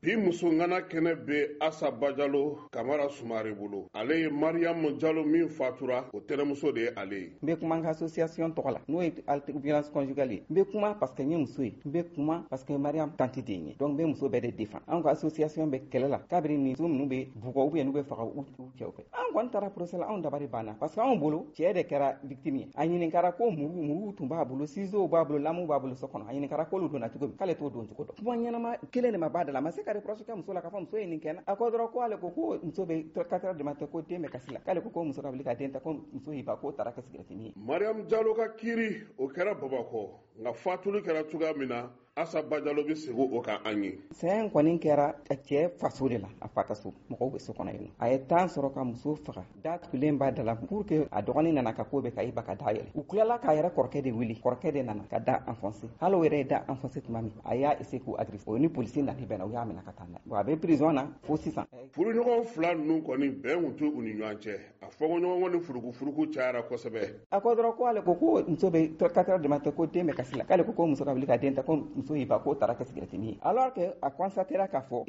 Bi muso ŋana kɛnɛ bɛ Asa Bajalo Kamara Sumare bolo. Ale ye Mariam Jalo min fatura, o tɛnɛmuso de ye ale ye. N bɛ kuma n ka association tɔgɔ la, n'o ye violence conjugale ye. N bɛ kuma parce que n ye muso ye, n bɛ kuma parce que Mariam tante de ye, donc n bɛ muso bɛɛ de défend. Anw ka association bɛ kɛlɛ la kabini nin muso ninnu bɛ bugɔ ou bien n'u bɛ faga u cɛw fɛ. An kɔni taara procès la, anw dabari banna parce que anw bolo cɛ de kɛra victime ye. A ɲininkara ko muru tun b'a bolo, ciseaux b'a bolo, lamu b'a bolo so kɔnɔ. A ɲininkara k'olu donna cogo min, k'ale t'o don cogo dɔn. Kuma ɲɛnama kelen de ma b'a da la, a ma se ka reproche kɛ muso la k'a fɔ muso ye nin kɛ n na. A ko dɔrɔn ko ale ko ko muso bɛ 4 heures du matin ko den bɛ kasi la, k'ale ko ko muso ka wuli ka den ta, ko muso y'i ban k'o taara kɛ sigirɛti min ye. Mariam Jalo ka kiiri, o kɛra Bamakɔ, nka fatuli kɛra cogoya min na, Asa Bajalo bɛ segin o kan an ye. Saya in kɔni kɛra cɛ faso de la, a fa ka so, mɔgɔw bɛ so kɔnɔ yen nɔ. A ye temps sɔrɔ ka muso faga, da tugulen b'a da la pour que a dɔgɔnin nana ka ko bɛɛ ka i ba ka da yɛlɛ. U tilala k'a yɛrɛ kɔrɔkɛ de wele, kɔrɔkɛ de nana ka da enfoncer. Hali o yɛrɛ ye da enfoncer tuma min, a y'a essayer k'u agresser. O ni polisi nana bɛnna, u y'a minɛ ka taa n'a ye. Bon, a bɛ prison na fo sisan. Furuɲɔgɔn fila ninnu kɔni, bɛn tun tɛ u ni ɲɔgɔn cɛ. A fɔnkɔɲɔgɔnkɔ ni furukufuruku cayara kosɛbɛ. A ko dɔrɔn ko ale ko ko muso bɛ 4 heures du matin ko den bɛ kasi la, k'ale ko ko muso ka wuli ka den ta, ko muso y'i ban k'o taara kɛ sigirɛti min ye. Alors que a constatera k'a fɔ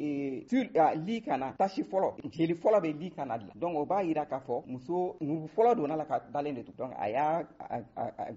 sur lit kana tache fɔlɔ, jeli fɔlɔ bɛ lit kana de la. Donc o b'a yira k'a fɔ muso muru fɔlɔ donna la ka dalen de to. Donc a y'a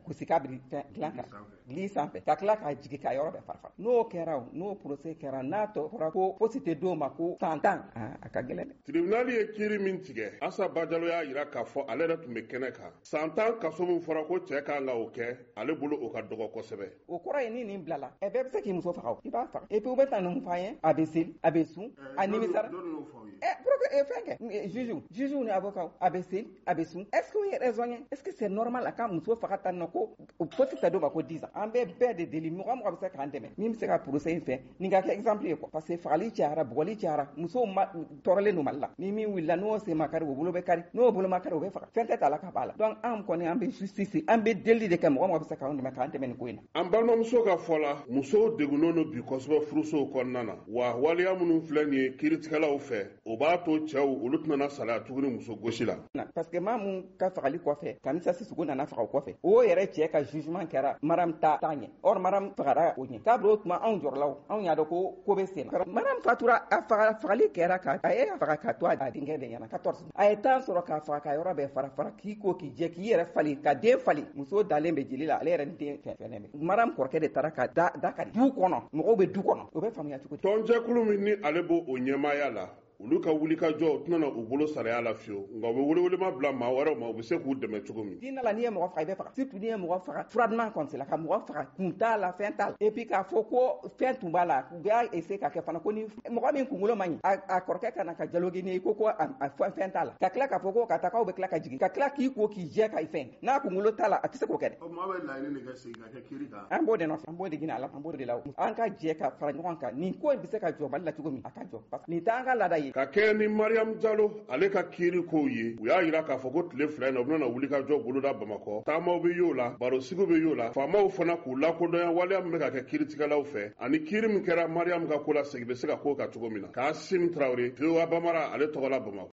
gosi k'a biri fɛn dilan kan, lit sanfɛ, ka tila k'a jigin ka yɔrɔ bɛɛ fara. N'o kɛra, n'o procès kɛra, n'a tɔ fɔra ko fosi tɛ d'o ma ko san 10, a ka gɛlɛn dɛ. Tribunal ye kiiri min tigɛ, Asa Bajalo y'a yira k'a fɔ ale yɛrɛ tun bɛ kɛnɛ kan. San 10 kaso min fɔra ko cɛ kan ka o kɛ, ale bolo o ka dɔgɔ kosɛbɛ. O kɔrɔ ye ni nin bilala, ɛ bɛɛ bɛ se k'i muso faga, i b'a faga. Et puis u bɛ taa ninnu f'an ye, a bɛ seli, a bɛ sun, a nimisara. Ɛ pour que fɛn kɛ, juge ni avocat, a bɛ seli, a bɛ sun. Est-ce que o ye raison ye? Est-ce que c'est normal a ka muso faga tan nɔ ko fosi tɛ d'o ma ko 10 ans? An bɛ bɛɛ de deli, mɔgɔ mɔgɔ bɛ se k'an dɛmɛ, min bɛ se ka procès in fɛ, nin ka kɛ exemple ye quoi. Parce que fagali cayara, bugɔli cayara, musow ma tɔɔrɔlen don Mali la. Ni min wulila n'o sen ma kari, o bolo bɛ kari, n'o bolo ma kari, o bɛ faga. Fɛn tɛ t'a la ka b'a la. Donc an kɔni an bɛ justice, an bɛ deli de kɛ, mɔgɔ mɔgɔ bɛ se k'an dɛmɛ, k'an dɛmɛ nin ko in na. An balimamuso ka fɔ la, musow degunnen don bi kosɛbɛ furusow kɔnɔna na. Wa waleya minnu filɛ nin ye kiiritigɛlaw fɛ, o b'a to cɛw olu tɛna salaya tuguni muso gosi la. Parce que maa mun ka fagali kɔfɛ, Kamisa Sisoko nana faga o kɔfɛ, o yɛrɛ cɛ ka jugement kɛra Mariam ta ɲɛ. Or Mariam fagara o ɲɛ. Kabini o tuma anw jɔrɔla, anw y'a dɔn ko ko bɛ sen na. Mariam fatura, a faga, fagali kɛra ka a ye faga ka to a denkɛ de ɲɛna 14. A ye temps sɔrɔ k'a faga ka yɔrɔ bɛɛ fara fara, k'i ko k'i jɛ, k'i yɛrɛ falen, ka den falen. Muso dalen bɛ jeli la, ale yɛrɛ ni den fɛn fɛn bɛ. Mariam kɔrɔkɛ de taara ka da kari du kɔnɔ, mɔgɔw bɛ du kɔnɔ, o bɛ faamuya cogo di? Tɔnjɛkulu min ni ale b'o o ɲɛmaaya la, olu ka wulikajɔ tɛna u bolo saraya la fiyewu, nka u bɛ welewelema bila maa wɛrɛw ma, u bɛ se k'u dɛmɛ cogo min. Diinɛ la, n'i ye mɔgɔ faga, i bɛ faga. Surtout n'i ye mɔgɔ faga froidement comme cela, ka mɔgɔ faga kun t'a la, fɛn t'a la. Et puis k'a fɔ ko fɛn tun b'a la, u b'a essayer ka kɛ fana ko ni mɔgɔ min kunkolo man ɲi, a kɔrɔkɛ ka na ka dialoguer n'i ye, ko ko a fɛn t'a la, ka tila k'a fɔ ko ka taa k'aw bɛ tila ka jigin, ka tila k'i ko k'i jɛ ka fɛn, n'a kunkolo t'a la, a tɛ se k'o kɛ dɛ. O maa bɛ laɲini de kɛ segin ka kɛ kiiri kan. An b'o de nɔfɛ, an b'o de ɲini a la, an b'o de la. An ka jɛ ka fara ɲɔgɔn kan, nin ko in bɛ se ka jɔ Mali la cogo min, a ka jɔ. Parce que nin t'an ka laada ye. Ka kɛɲɛ ni Mariam Jalo ale ka kiiri kow ye, u y'a yira k'a fɔ ko tile 2 in na, u bɛna wulikajɔ boloda Bamakɔ. Taamaw bɛ y'o la, barosigiw bɛ y'o la, faamaw fana k'u lakodɔnya waleya min bɛ ka kɛ kiiritigɛlaw fɛ, ani kiiri min kɛra Mariam ka ko la, segin bɛ se ka k'o kan cogo min na. Kasim Tarawele, VOA Bambara, ale tɔgɔ la Bamakɔ.